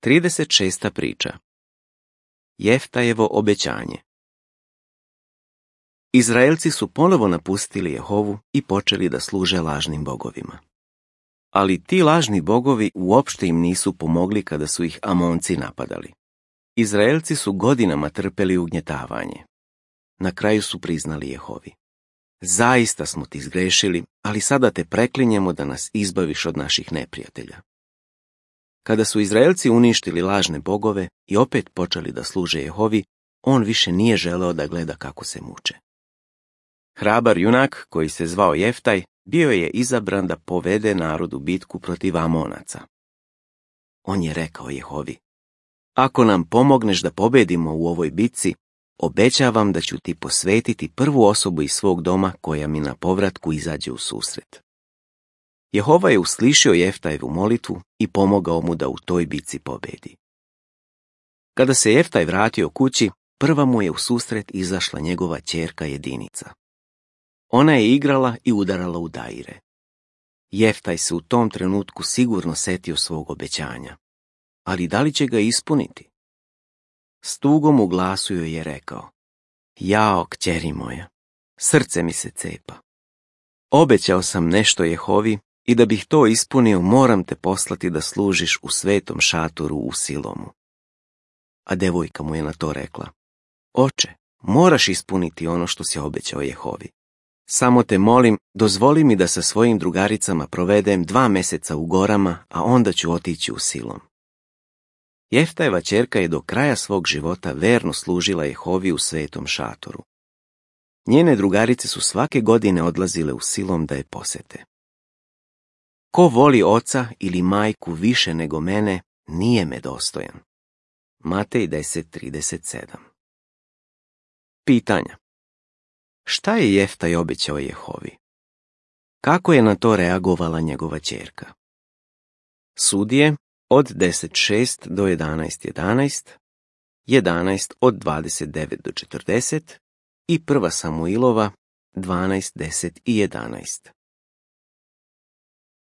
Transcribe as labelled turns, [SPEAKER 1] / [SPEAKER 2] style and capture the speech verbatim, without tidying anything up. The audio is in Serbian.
[SPEAKER 1] trideset šesta priča. Jeftajevo obećanje. Izraelci su ponovo napustili Jehovu i počeli da služe lažnim bogovima. Ali ti lažni bogovi uopšte im nisu pomogli kada su ih Amonci napadali. Izraelci su godinama trpeli ugnjetavanje. Na kraju su priznali Jehovi: zaista smo ti zgrešili, ali sada te preklinjemo da nas izbaviš od naših neprijatelja. Kada su Izraelci uništili lažne bogove i opet počeli da služe Jehovi, on više nije želeo da gleda kako se muče. Hrabar junak, koji se zvao Jeftaj, bio je izabran da povede narod u bitku protiv Amonaca. On je rekao Jehovi: ako nam pomogneš da pobedimo u ovoj bitci, obećavam da ću ti posvetiti prvu osobu iz svog doma koja mi na povratku izađe u susret. Jehova je uslišio Jeftajevu molitvu i pomogao mu da u toj bitci pobedi. Kada se Jeftaj vratio kući, prva mu je u susret izašla njegova ćerka Jedinica. Ona je igrala i udarala u daire. Jeftaj se u tom trenutku sigurno setio svog obećanja. Ali da li će ga ispuniti? S tugom u glasu joj je rekao: jao, kćeri moja, srce mi se cepa. Obećao sam nešto Jehovi i da bih to ispunio moram te poslati da služiš u svetom šatoru u Silomu. A devojka mu je na to rekla: oče, moraš ispuniti ono što si obećao Jehovi. Samo te molim, dozvoli mi da sa svojim drugaricama provedem dva meseca u gorama, a onda ću otići u Silom. Jeftajeva ćerka je do kraja svog života verno služila Jehovi u svetom šatoru. Njene drugarice su svake godine odlazile u Silom da je posete. Ko voli oca ili majku više nego mene, nije me dostojan. Matej deset trideset sedam. Pitanja. Šta je Jeftaj obećao Jehovi? Kako je na to reagovala njegova ćerka? Sudije od deset šest do jedanaest jedanaest, jedanaest od dvadeset devet do četrdeset i prva Samuilova dvanaest deset i jedanaest.